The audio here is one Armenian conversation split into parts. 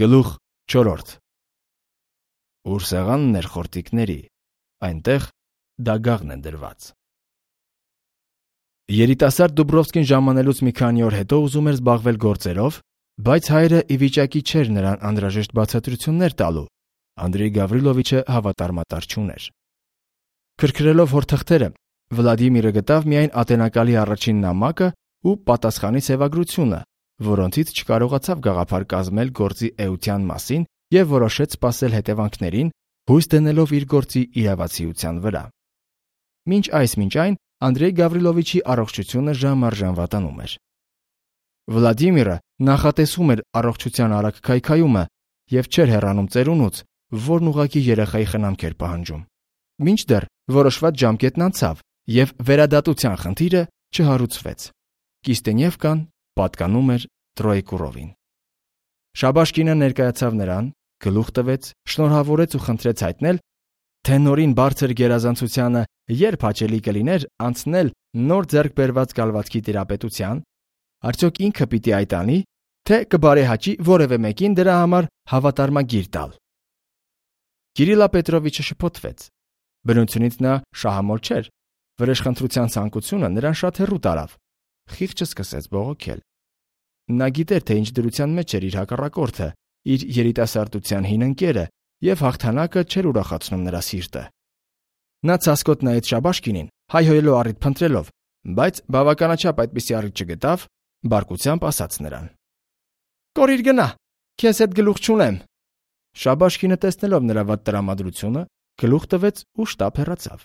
Գլուխ 4. Ուր սեղանն էր խորտիկների, այնտեղ դագաղն է դրված։ Երիտասարդ Դուբրովսկին ժամանելուց մի քանի օր հետո ուզում էր զբաղվել գործերով, բայց հայրը ի վիճակի չէր նրան անհրաժեշտ բացատրություններ տալու։ Անդրեյ Գավրիլովիչը հավատարմատար չուներ։ Քրքրելով հոր թղթերը, Վլադիմիրը գտավ միայն ատենակալի առաջին նամակը ու պատասխանի սևագրությունը, որոնցից չկարողացավ գաղափար կազմել գործի էության մասին և որոշեց սպասել հետևանքներին, հույս դնելով իր գործի իրավացիության վրա։ Մինչ այն Անդրեյ Գավրիլովիչի առողջությունը ժամ առ ժամ վատանում էր։ Վլադիմիրը նախատեսում էր առողջության արագ քայքայումը և չէր հեռանում ծերունուց, որն ուղղակի երեխայի խնամք էր պահանջում։ Մինչդեռ որոշված ժամկետն անցավ, և վերադատության խնդիրը չհարուցվեց։ Կիստենևկան պատկանում էր Տրոյեկուրովին։ Շաբաշկինը ներկայացավ նրան, գլուխ տվեց, շնորհավորեց ու խնդրեց հայտնել, թե նորին բարձր գերազանցությանը երբ հաճելի կլիներ անցնել նոր ձեռք բերված կալվածքի տիրապետության, արդյոք ինքը պիտի այդ անի, թե կբարեհաճի որևէ մեկին դրա համար հավատարմագիր տալ։ Կիրիլա Պետրովիչը շփոթվեց։ Բնությունից նա շահամոլ չէր, վրեժխնդրության ցանկությունը նրան շատ հեռու տարավ։ Խիղճը սկսեց բողոքել։ Նա գիտեր, թե ինչ դրության մեջ էր իր հակառակորդը, իր երիտասարդության հին ընկերը, և հաղթանակը չէր ուրախացնում նրա սիրտը։ Նա ցասկոտ նայեց Շաբաշկինին, հայհոյելով առիթ փնտրելով, բայց բավականաչափ այդպիսի առիթ չգտավ, բարկությամբ ասաց նրան. «Կորիր գնա, քեզ հետ գլուխ չունեմ»։ Շաբաշկինը տեսնելով նրա վատ տրամադրությունը, գլուխ տվեց ու շտապ հեռացավ։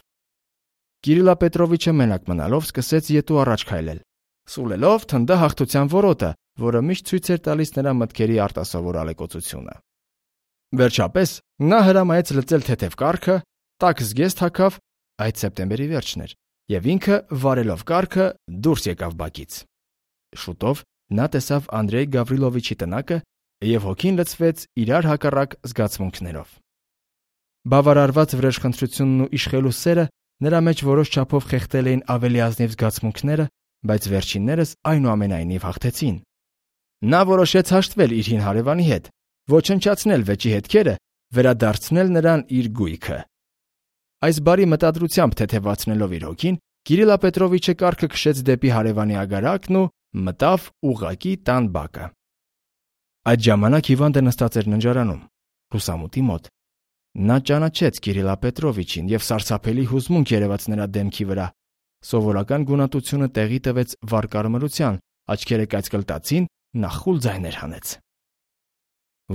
Կիրիլա Պետրովիչը մենակ մնալով սկսեց ետու առաջ քայլել, սուլելով թնդա հաղթության որոտը, որը միշտ ցույց էր տալիս նրա մտքերի արտասովոր ալեկոծությունը։ Վերջապես նա հրամայեց լծել թեթև կառքը, տաք զգեստ հագավ, այդ սեպտեմբերի վերջն էր, և ինքը վարելով կառքը դուրս եկավ բակից։ Շուտով նա տեսավ Անդրեյ Գավրիլովիչի տնակը և հոգին լցվեց իրար հակառակ զգացմունքներով։ Բավարարված վրեժխնդրությունն ու իշխելու սերը նրա մեջ որոշ չափով խեղդել էին ավելի ազնիվ զգացմունքները, բայց վերջիններս այնուամենայնիվ հաղթեցին։ Նա որոշեց հաշտվել իր հին հարևանի հետ, ոչնչացնել վեճի հետքերը, վերադարձնել նրան իր գույքը։ Այս բարի մտադրությամբ թեթևացնելով իր հոգին, Կիրիլա Պետրովիչը կառքը քշեց դեպի հարևանի ագարակն ու մտավ ուղղակի տան բակը։ Այդ ժամանակ հիվանդը նստած էր ննջարանում, լուսամուտի մոտ։ Նա ճանաչեց Կիրիլա Պետրովիչին և սարսափելի հուզմունք երևաց նրա դեմքի վրա։ Սովորական գունատությունը տեղի տվեց վառ կարմրության, աչքերը կայծկլտացին, նա խուլ ձայներ հանեց։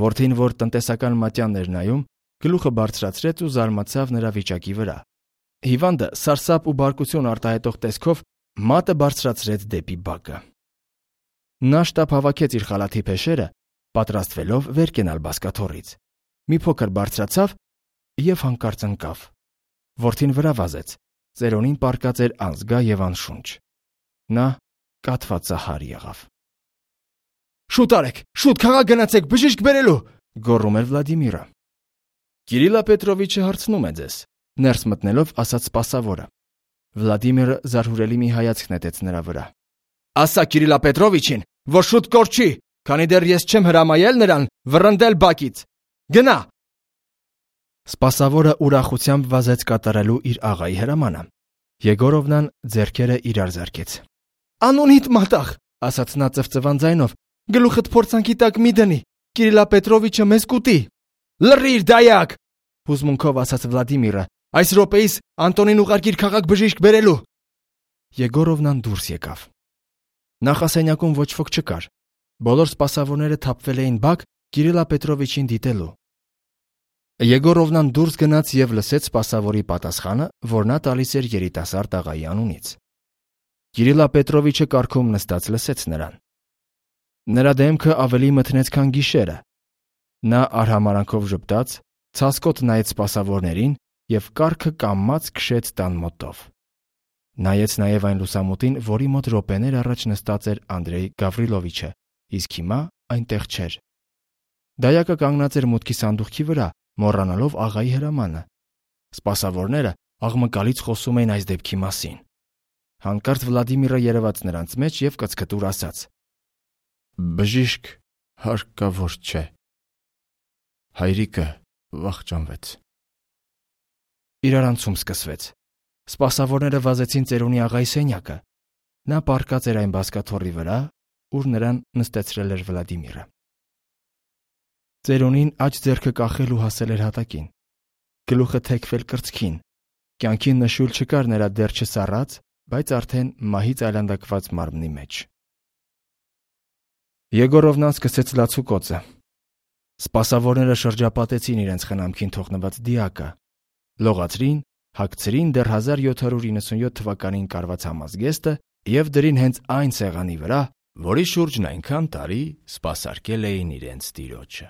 Որդին, որ տնտեսական մատյանն էր նայում, գլուխը բարձրացրեց ու զարմացավ նրա վիճակի վրա։ Հիվանդը սարսափ ու բարկություն արտահայտող տեսքով մատը բարձրացրեց դեպի բակը։ Նա շտապ հավաքեց իր խալաթի փեշերը, պատրաստվելով վեր կենալ բազկաթոռից։ Մի փոքր բարձրացավ և հանկարծ ընկավ։ Որդին վրա վազեց, ծերոնին պառկած էր անզգա և անշունչ։ Նա կաթվածահար եղավ։ «Շուտ արեք, շուտ քաղաք գնացեք, բժիշկ բերելու», գոռում էր Վլադիմիրը։ «Կիրիլա Պետրովիչը հարցնում է ձեզ», ներս մտնելով ասաց սպասավորը։ Վլադիմիրը զարհուրելի մի հայացք նետեց նրա վրա։ «Ասա Կիրիլա Պետրովիչին, որ շուտ կորչի, քանի դեռ ես չեմ հրամայել նրան վռնդել բակից։ Գնա»։ Սպասավորը ուրախությամբ վազեց կատարելու իր աղայի հրամանը։ Եգորովնան ձեռքերը իրար զարկեց։ «Անունիդ մատաղ», ասաց նա ծվծվան ձայնով, «գլուխդ փորձանքի տակ մի դնի, Կիրիլա Պետրովիչը մեզ կուտի»։ «Լռիր, դայակ», հուզմունքով ասաց Վլադիմիրը, «այս րոպեիս Անտոնին ուղարկիր քաղաք բժիշկ բերելու»։ Եգորովնան դուրս եկավ։ Նախասենյակում ոչ ոք չկար։ Բոլոր սպասավորները թափվել էին բակ Կիրիլա Պետրովիչին դիտելու։ Եգորովնան դուրս գնաց և լսեց սպասավորի պատասխանը, որ նա տալիս էր երիտասարդ աղայի անունից։ Կիրիլա Պետրովիչը կառքում նստած լսեց նրան։ Նրա դեմքը ավելի մթնեց, քան գիշերը։ Նա արհամարանքով ժպտաց, ցասկոտ նայեց սպասավորներին և կառքը կամաց քշեց տան մոտով։ Նայեց նաև այն լուսամուտին, որի մոտ րոպեներ առաջ նստած էր Անդրեյ Գավրիլովիչը, իսկ հիմա այնտեղ չէր։ Դայակը կանգնած էր մուտքի սանդուղքի վրա, մոռանալով աղայի հրամանը։ Սպասավորները աղմկալից խոսում էին այս դեպքի մասին։ Հանկարծ Վլադիմիրը երևաց նրանց մեջ և կծկտուր ասաց. «Բժիշկ հարկավոր չէ»։ Հայրիկը վախճանվեց։ Իրարանցում սկսվեց։ Սպասավորները վազեցին ծերունի աղայի սենյակը։ Նա պառկած էր այն բազկաթոռի վրա, ուր նրան նստեցրել էր Վլադիմիրը։ Ծերունին աջ ձեռքը կախել ու հասել էր հատակին։ Գլուխը թեքվել կրծքին։ Կյանքի նշույլ չկար նրա դեռ չսառած, բայց արդեն մահից այլանդակված մարմնի մեջ։ Եգորովնան սկսեց լացուկոցը։ Սպասավորները շրջապատեցին իրենց խնամքին թողնված դիակը, լողացրին, հագցրին դեռ 1797 թվականին կարված համազգեստը և դրին հենց այն սեղանի վրա, որի շուրջն այնքան տարի սպասարկել էին իրենց տիրոջը։